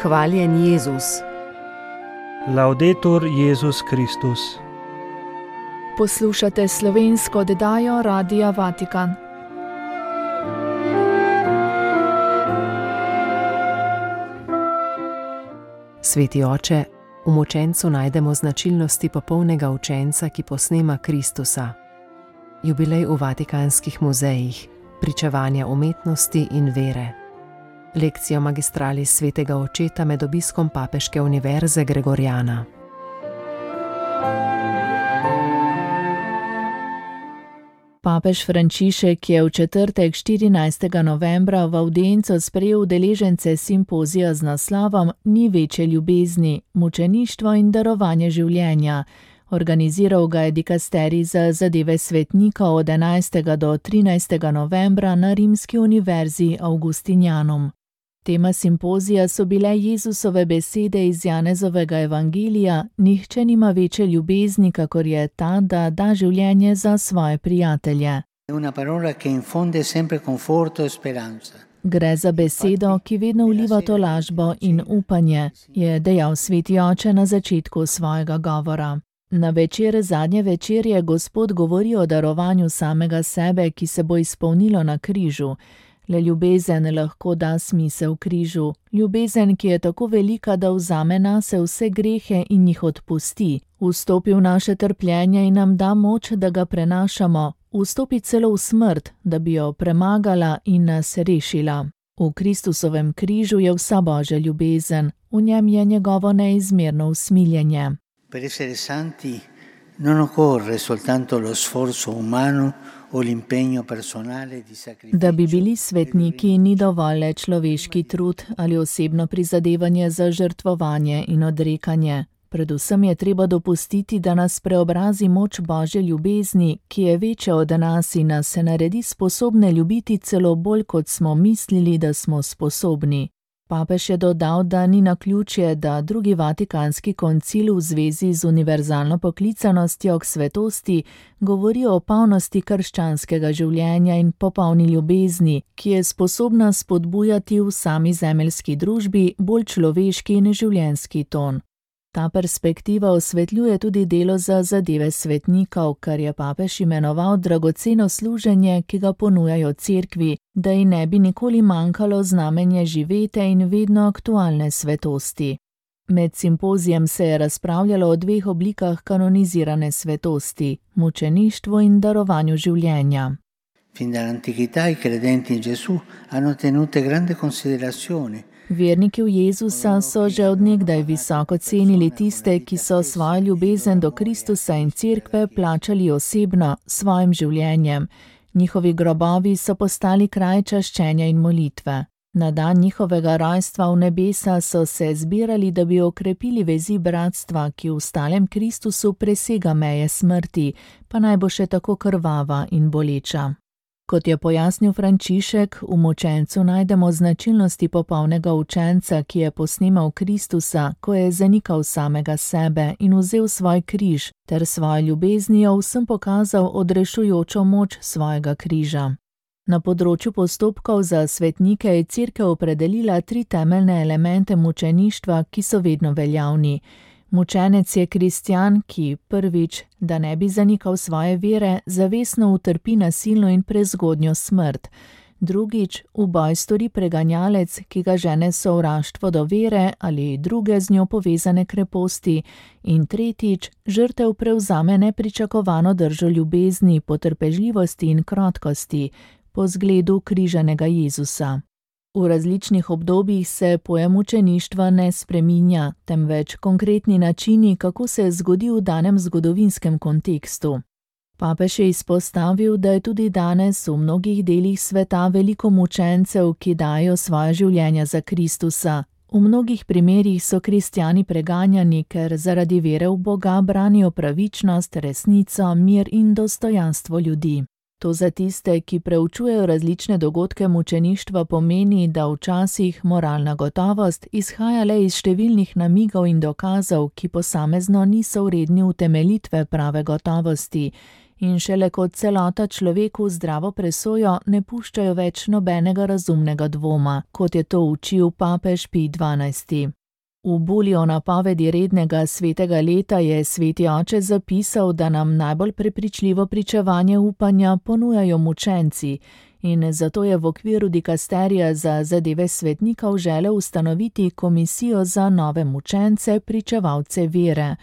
Hvaljen Jezus. Laudetur Jezus Kristus. Poslušate slovensko oddajo Radia Vatikan. Sveti oče, v mučencu najdemo značilnosti popolnega učenca, ki posnema Kristusa. Jubilej v vatikanskih muzejih, pričevanja umetnosti in vere. Lekcijo magistralis svetega očeta med obiskom Papeške univerze Gregoriana. Papež Frančišek je v četrtek 14. novembra v avdienco sprejel udeležence simpozija z naslovom Ni večje ljubezni, mučeništvo in darovanje življenja. Organiziral ga je dikasterij za zadeve svetnikov od 11. do 13. novembra na Rimski univerzi Augustinianum. Tema simpozija so bile Jezusove besede iz Janezovega evangelija: Nihče nima večje ljubezni, kakor je ta, da da življenje za svoje prijatelje. Gre za besedo, ki vedno vliva tolažbo in upanje, je dejal sveti oče na začetku svojega govora. Na večer zadnje večerje Gospod govori o darovanju samega sebe, ki se bo izpolnilo na križu. Le ljubezen lahko da smisel križu. Ljubezen, ki je tako velika, da vzame nase vse grehe in jih odpusti. Vstopi v naše trpljenje in nam da moč, da ga prenašamo. Vstopi celo v smrt, da bi jo premagala in nas rešila. V Kristusovem križu je vsa Božja ljubezen. V njem je njegovo neizmerno usmiljenje. Per essere santi non occorre soltanto lo sforzo umano o l'impegno personale di sacrificio. Da bi bili svetniki, ni dovolj le človeški trud ali osebno prizadevanje za žrtvovanje in odrekanje. Predvsem je treba dopustiti, da nas preobrazi moč Božje ljubezni, ki je večja od nas in nas se naredi sposobne ljubiti celo bolj, kot smo mislili, da smo sposobni. Papež je dodal, da ni naključje, da drugi vatikanski koncil v zvezi z univerzalno poklicanostjo k svetosti govori o polnosti krščanskega življenja in popolni ljubezni, ki je sposobna spodbujati v sami zemeljski družbi bolj človeški in življenjski ton. Ta perspektiva osvetljuje tudi delo za zadeve svetnikov, kar je papež imenoval dragoceno služenje, ki ga ponujajo cerkvi, da ji ne bi nikoli manjkalo znamenje živete in vedno aktualne svetosti. Med simpozijem se je razpravljalo o dveh oblikah kanonizirane svetosti: mučeništvu in darovanju življenja. Fin dall'antichità i credenti in Gesù hanno tenute grande considerazione. Verniki v Jezusa so že od nekdaj visoko cenili tiste, ki so svojo ljubezen do Kristusa in cerkve plačali osebno, svojim življenjem. Njihovi grobovi so postali kraj čaščenja in molitve. Na dan njihovega rojstva v nebesa so se zbirali, da bi okrepili vezi bratstva, ki v stalem Kristusu presega meje smrti, pa naj bo še tako krvava in boleča. Kot je pojasnil Frančišek, v mučencu najdemo značilnosti popolnega učenca, ki je posnemal Kristusa, ko je zanikal samega sebe in vzel svoj križ, ter svojo ljubeznijo vsem pokazal odrešujočo moč svojega križa. Na področju postopkov za svetnike je cerkev opredelila 3 temeljne elemente mučeništva, ki so vedno veljavni. Mučenec je kristjan, ki prvič, da ne bi zanikal svoje vere, zavestno utrpi nasilno in prezgodnjo smrt. Drugič, v boj stori preganjalec, ki ga žene sovraštvo do vere ali druge z njo povezane kreposti. In tretjič, žrtev prevzame nepričakovano držo ljubezni, potrpežljivosti in krotkosti, po zgledu križanega Jezusa. V različnih obdobjih se pojem mučeništva ne spreminja, temveč konkretni načini, kako se zgodi v danem zgodovinskem kontekstu. Papež je izpostavil, da je tudi danes v mnogih delih sveta veliko mučencev, ki dajo svoje življenja za Kristusa. V mnogih primerih so kristjani preganjani, ker zaradi vere v Boga branijo pravičnost, resnico, mir in dostojanstvo ljudi. To za tiste, ki preučujejo različne dogodke mučeništva, pomeni, da včasih moralna gotovost izhaja le iz številnih namigov in dokazov, ki posamezno niso vredni utemeljitve prave gotovosti, in šele kot celota človeku zdravo presojo ne puščajo več nobenega razumnega dvoma, kot je to učil papež Pij XII. V bulji o napovedi rednega svetega leta je sveti oče zapisal, da nam najbolj prepričljivo pričevanje upanja ponujajo mučenci, in zato je v okviru dikasterija za zadeve svetnikov želel ustanoviti komisijo za nove mučence, pričevalce vere,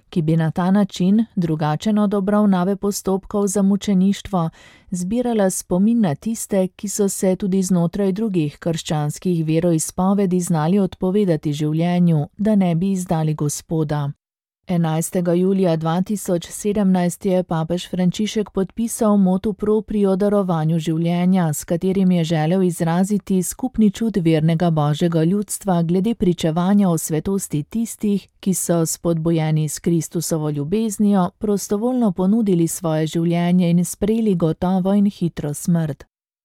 ki bi na ta način, drugačen od obravnave postopkov za mučeništvo, zbirala spomin na tiste, ki so se tudi znotraj drugih krščanskih veroizpovedi znali odpovedati življenju, da ne bi izdali Gospoda. 11. julija 2017 je papež Frančišek podpisal motu proprio o darovanju življenja, s katerim je želel izraziti skupni čut vernega božjega ljudstva glede pričevanja o svetosti tistih, ki so spodbujeni s Kristusovo ljubeznijo, prostovoljno ponudili svoje življenje in sprejeli gotovo in hitro smrt.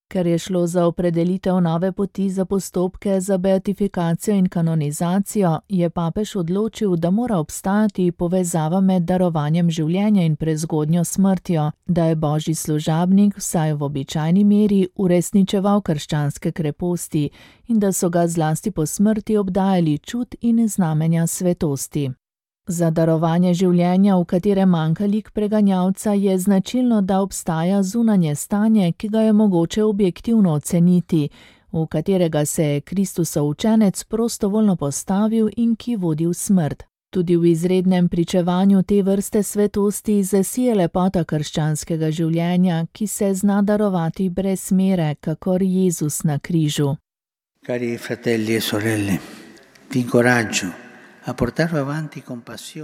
Ker je šlo za opredelitev nove poti za postopke za beatifikacijo in kanonizacijo, je papež odločil, da mora obstajati povezava med darovanjem življenja in prezgodnjo smrtjo, da je božji služabnik vsaj v običajni meri uresničeval krščanske kreposti in da so ga zlasti po smrti obdajali čut in znamenja svetosti. Za darovanje življenja, v katerem manjka lik preganjalca, je značilno, da obstaja zunanje stanje, ki ga je mogoče objektivno oceniti, v katerega se je Kristusov učenec prostovoljno postavil in ki vodi v smrt. Tudi v izrednem pričevanju te vrste svetosti zasije lepota krščanskega življenja, ki se zna darovati brez mere, kakor Jezus na križu. Cari fratelli e sorelle, vi incoraggio.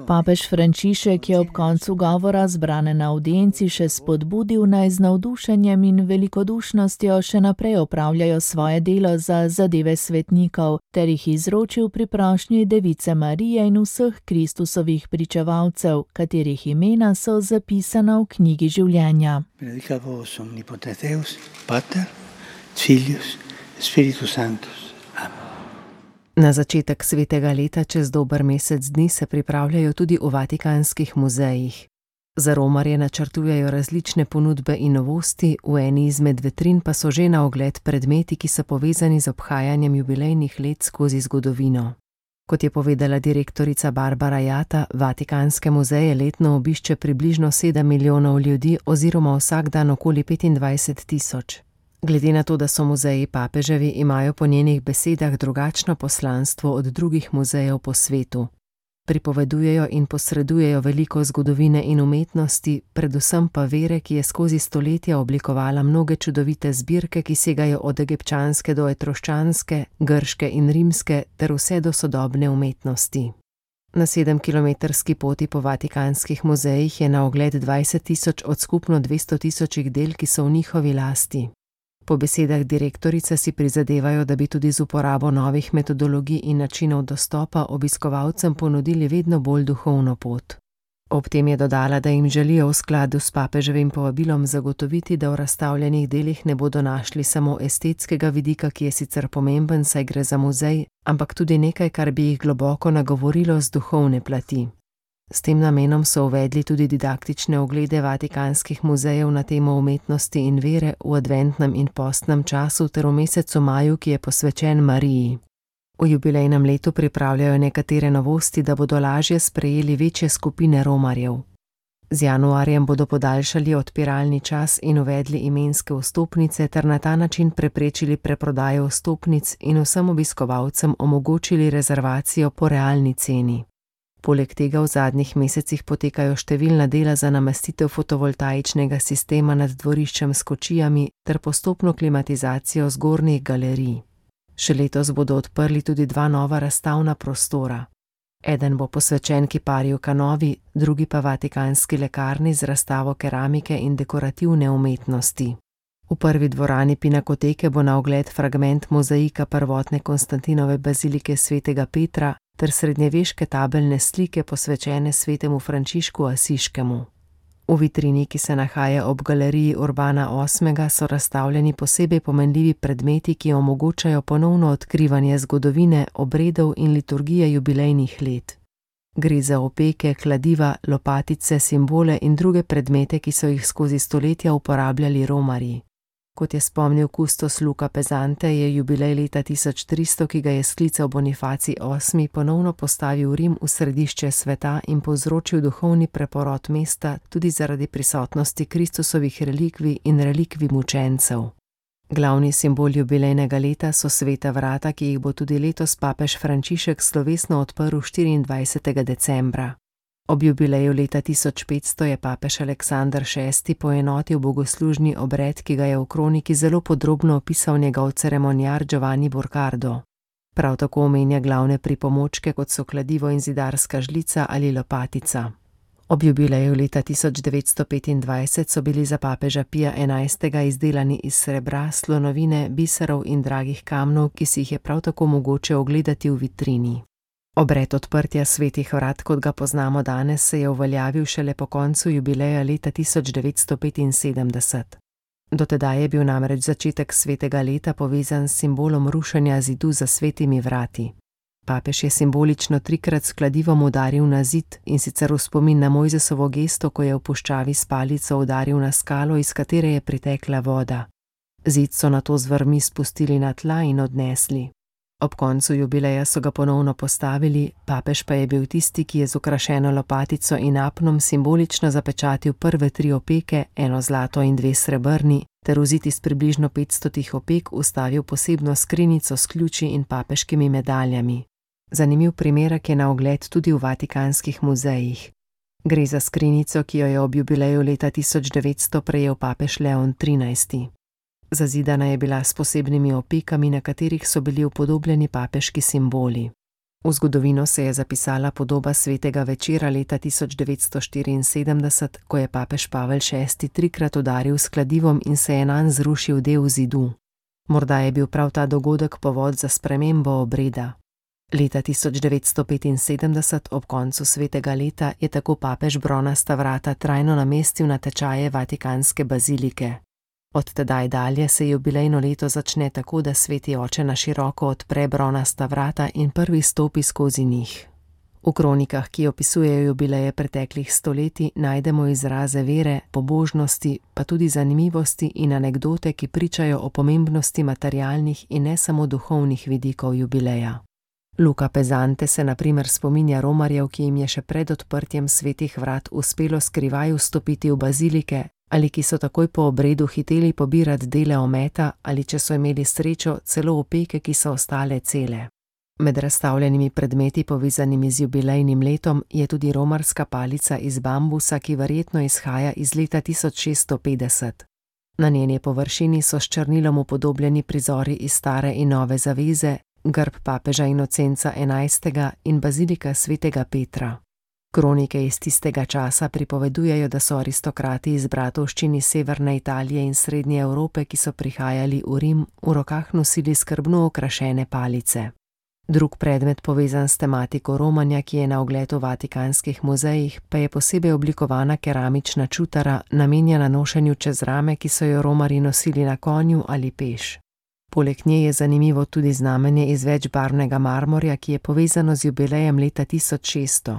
Papež Frančišek je ob koncu govora zbrane na avdienci še spodbudil, naj z navdušenjem in velikodušnostjo še naprej opravljajo svoje delo za zadeve svetnikov, ter jih izročil pri prošnji Device Marije in vseh Kristusovih pričevalcev, katerih imena so zapisana v knjigi življenja. Benedicat vos omnipotens Deus, Pater, Filius, Spiritus Sanctus. Na začetek svetega leta čez dober mesec dni se pripravljajo tudi v vatikanskih muzejih. Za romarje načrtujejo različne ponudbe in novosti, v eni izmed vitrin pa so že na ogled predmeti, ki so povezani z obhajanjem jubilejnih let skozi zgodovino. Kot je povedala direktorica Barbara Jata, vatikanske muzeje letno obišče približno 7 milijonov ljudi oziroma vsak dan okoli 25 tisoč. Glede na to, da so muzeji papeževi, imajo po njenih besedah drugačno poslanstvo od drugih muzejev po svetu. Pripovedujejo in posredujejo veliko zgodovine in umetnosti, predvsem pa vere, ki je skozi stoletja oblikovala mnoge čudovite zbirke, ki segajo od egipčanske do etroščanske, grške in rimske ter vse do sodobne umetnosti. Na 7-kilometrski poti po vatikanskih muzejih je na ogled 20 tisoč od skupno 200 tisočih del, ki so v njihovi lasti. Po besedah direktorice si prizadevajo, da bi tudi z uporabo novih metodologij in načinov dostopa obiskovalcem ponudili vedno bolj duhovno pot. Ob tem je dodala, da jim želijo v skladu s papeževim povabilom zagotoviti, da v razstavljenih delih ne bodo našli samo estetskega vidika, ki je sicer pomemben, saj gre za muzej, ampak tudi nekaj, kar bi jih globoko nagovorilo z duhovne plati. S tem namenom so uvedli tudi didaktične oglede vatikanskih muzejev na temo umetnosti in vere v adventnem in postnem času ter v mesecu maju, ki je posvečen Mariji. V jubilejnem letu pripravljajo nekatere novosti, da bodo lažje sprejeli večje skupine romarjev. Z januarjem bodo podaljšali odpiralni čas in uvedli imenske vstopnice ter na ta način preprečili preprodajo vstopnic in vsem obiskovalcem omogočili rezervacijo po realni ceni. Poleg tega v zadnjih mesecih potekajo številna dela za namestitev fotovoltaičnega sistema nad dvoriščem s kočijami ter postopno klimatizacijo zgornjih galerij. Še letos bodo odprli tudi 2 nova razstavna prostora. Eden bo posvečen kiparju Canovi, drugi pa vatikanski lekarni z razstavo keramike in dekorativne umetnosti. V prvi dvorani Pinakoteke bo na ogled fragment mozaika prvotne Konstantinove bazilike svetega Petra ter srednjeveške tabelne slike posvečene svetemu Frančišku Asiškemu. V vitrini, ki se nahaja ob galeriji Urbana VIII, so razstavljeni posebej pomenljivi predmeti, ki omogočajo ponovno odkrivanje zgodovine, obredov in liturgije jubilejnih let. Gre za opeke, kladiva, lopatice, simbole in druge predmete, ki so jih skozi stoletja uporabljali romarji. Kot je spomnil kustos Luca Pesante, je jubilej leta 1300, ki ga je sklical Bonifacij VIII., ponovno postavil Rim v središče sveta in povzročil duhovni preporod mesta tudi zaradi prisotnosti Kristusovih relikvij in relikvij mučencev. Glavni simbol jubilejnega leta so sveta vrata, ki jih bo tudi letos papež Frančišek slovesno odprl 24. decembra. Ob jubileju leta 1500 je papež Aleksander VI. Poenotil bogoslužni obred, ki ga je v kroniki zelo podrobno opisal njegov ceremonjar Giovanni Borcardo. Prav tako omenja glavne pripomočke, kot so kladivo in zidarska žlica ali lopatica. Ob jubileju leta 1925 so bili za papeža Pija XI. Izdelani iz srebra, slonovine, biserov in dragih kamnov, ki si jih je prav tako mogoče ogledati v vitrini. Obred odprtja svetih vrat, kot ga poznamo danes, se je uveljavil šele po koncu jubileja leta 1975. Do tedaj je bil namreč začetek svetega leta povezan s simbolom rušenja zidu za svetimi vrati. Papež je simbolično 3-krat s kladivom udaril na zid, in sicer v spomin na Mojzesovo gesto, ko je v puščavi s palico udaril na skalo, iz katere je pritekla voda. Zid so nato z vrvmi spustili na tla in odnesli. Ob koncu jubileja so ga ponovno postavili, papež pa je bil tisti, ki je z okrašeno lopatico in apnom simbolično zapečatil prve 3 opeke, 1 zlato in 2 srebrni, ter v zid iz približno 500 opek ustavil posebno skrinjico s ključi in papeškimi medaljami. Zanimiv primerek je na ogled tudi v vatikanskih muzejih. Gre za skrinjico, ki jo je ob jubileju leta 1900 prejel papež Leon XIII. Zazidana je bila s posebnimi opekami, na katerih so bili upodobljeni papeški simboli. V zgodovino se je zapisala podoba svetega večera leta 1974, ko je papež Pavel VI 3-krat udaril s kladivom in se je nanj zrušil del zidu. Morda je bil prav ta dogodek povod za spremembo obreda. Leta 1975, ob koncu svetega leta, je tako papež bronasta vrata trajno namestil na tečaje vatikanske bazilike. Od tedaj dalje se jubilejno leto začne tako, da sveti oče na široko odpre bronasta vrata in prvi stopi skozi njih. V kronikah, ki opisujejo jubileje preteklih stoletij, najdemo izraze vere, pobožnosti, pa tudi zanimivosti in anekdote, ki pričajo o pomembnosti materialnih in ne samo duhovnih vidikov jubileja. Luca Pesante se na primer spominja romarjev, ki jim je še pred odprtjem svetih vrat uspelo skrivaj vstopiti v bazilike, ali ki so takoj po obredu hiteli pobirati dele ometa, ali če so imeli srečo, celo opeke, ki so ostale cele. Med razstavljenimi predmeti povezanimi z jubilejnim letom je tudi romarska palica iz bambusa, ki verjetno izhaja iz leta 1650. Na njeni površini so s črnilom upodobljeni prizori iz stare in nove zaveze, grb papeža Inocenca XI. In bazilika svetega Petra. Kronike iz tistega časa pripovedujejo, da so aristokrati iz bratovščin iz severne Italije in srednje Evrope, ki so prihajali v Rim, v rokah nosili skrbno okrašene palice. Drug predmet povezan s tematiko romanja, ki je na ogled v vatikanskih muzejih, pa je posebej oblikovana keramična čutara, namenjena nošenju čez rame, ki so jo romarji nosili na konju ali peš. Poleg nje je zanimivo tudi znamenje iz večbarvnega marmorja, ki je povezano z jubilejem leta 1600.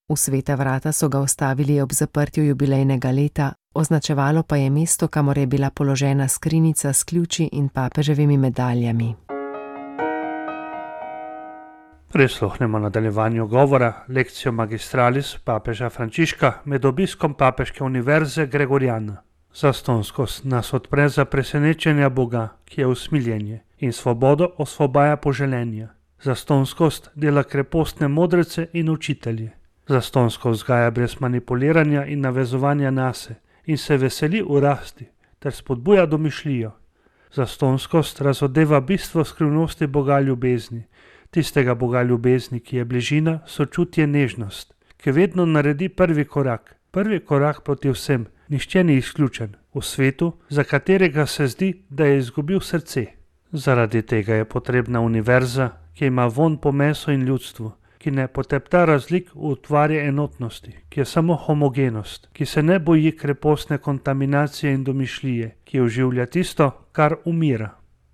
V sveta vrata so ga vstavili ob zaprtju jubilejnega leta, označevalo pa je mesto, kamor je bila položena skrinjica s ključi in papeževimi medaljami. Prisluhnemo nadaljevanju govora Lectio Magistralis papeža Frančiška med obiskom papeške univerze Gregoriana. Zastonskost nas odpre za presenečenja Boga, ki je usmiljenje, in svobodo osvobaja poželenja. Zastonskost dela krepostne modrece in učitelje. Zastonskost vzgaja brez manipuliranja in navezovanja nase in se veseli v rasti ter spodbuja domišljijo. Zastonskost razodeva bistvo skrivnosti Boga ljubezni, tistega Boga ljubezni, ki je bližina, sočutje, nežnost, ki vedno naredi prvi korak proti vsem, nihče ni izključen, v svetu, za katerega se zdi, da je izgubil srce. Zaradi tega je potrebna univerza, ki ima vonj po mesu in ljudstvu, ki ne potepta razlik v utvarje enotnosti, ki je samo homogenost, ki se ne boji krepostne kontaminacije in domišljije, ki oživlja tisto, kar umira.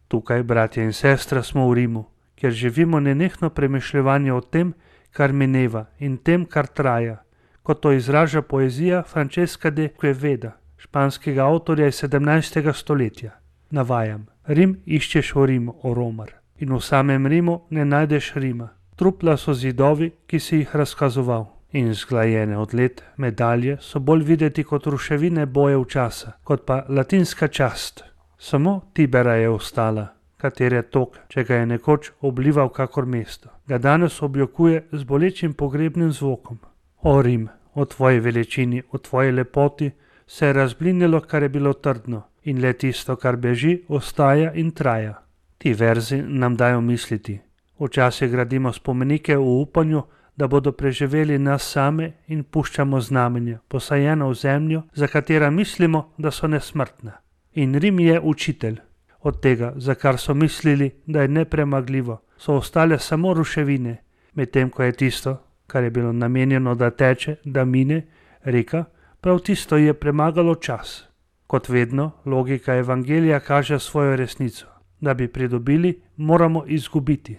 Tukaj, bratje in sestre, smo v Rimu, kjer živimo nenehno premišljevanje o tem, kar mineva in tem, kar traja, kot to izraža poezija Francesca de Queveda, španskega avtorja iz 17. stoletja. Navajam: Rim iščeš v Rimu, o Romar, in v samem Rimu ne najdeš Rima. Trupla so zidovi, ki si jih razkazoval, in zglajene od let medalje so bolj videti kot ruševine bojev časa, kot pa latinska čast. Samo Tibera je ostala, katere tok, če ga je nekoč oblival kakor mesto, ga danes objokuje z bolečim pogrebnim zvokom. O Rim, o tvoji veličini, o tvoji lepoti se je razblinilo, kar je bilo trdno, in le tisto, kar beži, ostaja in traja. Ti verzi nam dajo misliti. Včasih gradimo spomenike v upanju, da bodo preživeli nas same, in puščamo znamenja, posajena v zemljo, za katera mislimo, da so nesmrtna. In Rim je učitelj. Od tega, za kar so mislili, da je nepremagljivo, so ostale samo ruševine, medtem ko je tisto, kar je bilo namenjeno, da teče, da mine, reka, prav tisto je premagalo čas. Kot vedno, logika evangelija kaže svojo resnico. Da bi pridobili, moramo izgubiti.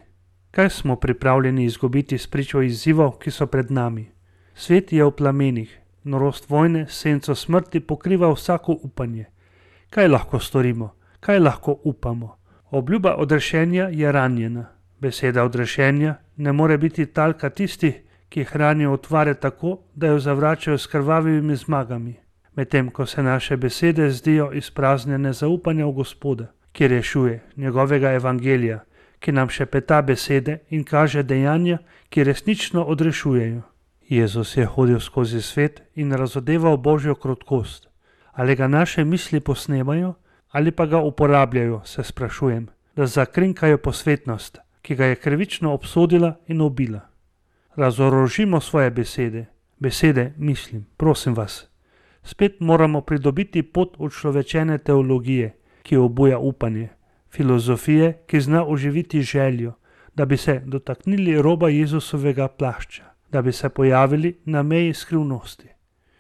Kaj smo pripravljeni izgubiti spričo izzivov, ki so pred nami? Svet je v plamenih, norost vojne, senco smrti pokriva vsako upanje. Kaj lahko storimo? Kaj lahko upamo? Obljuba odrešenja je ranjena. Beseda odrešenja ne more biti talka tistih, ki hranijo utvare tako, da jo zavračajo s krvavimi zmagami, medtem ko se naše besede zdijo izpraznjene zaupanja v Gospoda, ki rešuje, njegovega evangelija, ki nam šepeta besede in kaže dejanja, ki resnično odrešujejo. Jezus je hodil skozi svet in razodeval Božjo krotkost. Ali ga naše misli posnemajo, ali pa ga uporabljajo, se sprašujem, da zakrinkajo posvetnost, ki ga je krivično obsodila in ubila. Razorožimo svoje besede. Besede, mislim, prosim vas. Spet moramo pridobiti pot učlovečene teologije, ki obuja upanje, filozofije, ki zna oživiti željo, da bi se dotaknili roba Jezusovega plašča, da bi se pojavili na meji skrivnosti.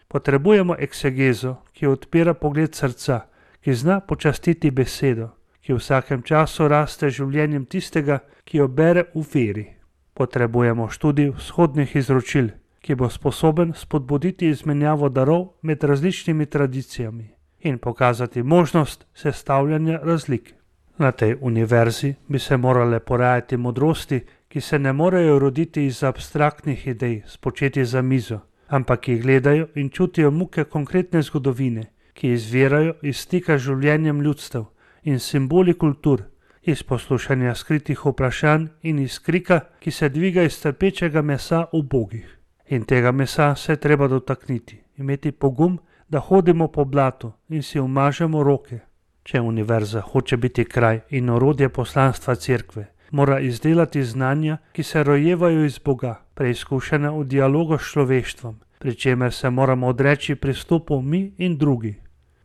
Potrebujemo eksegezo, ki odpira pogled srca, ki zna počastiti besedo, ki v vsakem času raste življenjem tistega, ki jo bere v veri. Potrebujemo študij vzhodnih izročil, ki bo sposoben spodbuditi izmenjavo darov med različnimi tradicijami in pokazati možnost sestavljanja razlik. Na tej univerzi bi se morale porajati modrosti, ki se ne morejo roditi iz abstraktnih idej, spočeti za mizo, ampak ki gledajo in čutijo muke konkretne zgodovine, ki izvirajo iz stika z življenjem ljudstev in simboli kultur, iz poslušanja skritih vprašanj in iz krika, ki se dviga iz trpečega mesa ubogih. In tega mesa se treba dotakniti, imeti pogum, da hodimo po blatu in si umažemo roke. Če univerza hoče biti kraj in orodje poslanstva cerkve, mora izdelati znanja, ki se rojevajo iz Boga, preizkušena v dialogu s človeštvom, pri čemer se moramo odreči pristopu mi in drugi.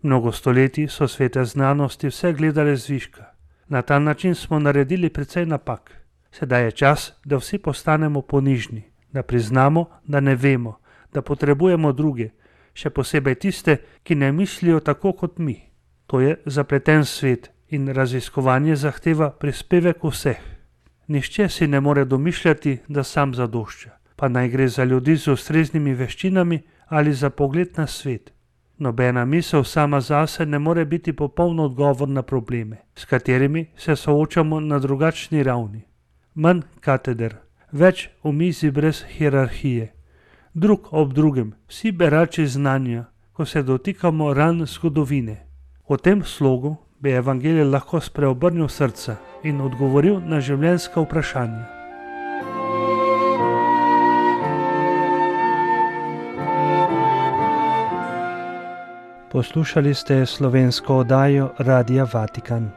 Mnogo stoletij so svete znanosti vse gledale zviška. Na ta način smo naredili precej napak. Sedaj je čas, da vsi postanemo ponižni, da priznamo, da ne vemo, da potrebujemo druge, še posebej tiste, ki ne mislijo tako kot mi. To je zapleten svet in raziskovanje zahteva prispevek vseh. Nihče si ne more domišljati, da sam zadošča, pa naj gre za ljudi z ustreznimi veščinami ali za pogled na svet. Nobena misel sama zase ne more biti popoln odgovor na probleme, s katerimi se soočamo na drugačni ravni. Manj kateder, več omizij brez hierarhije. Drug ob drugem, vsi berači znanja, ko se dotikamo ran zgodovine. V tem slogu bi evangelij lahko spreobrnil srca in odgovoril na življenjska vprašanja. Poslušali ste slovensko oddajo Radia Vatikan.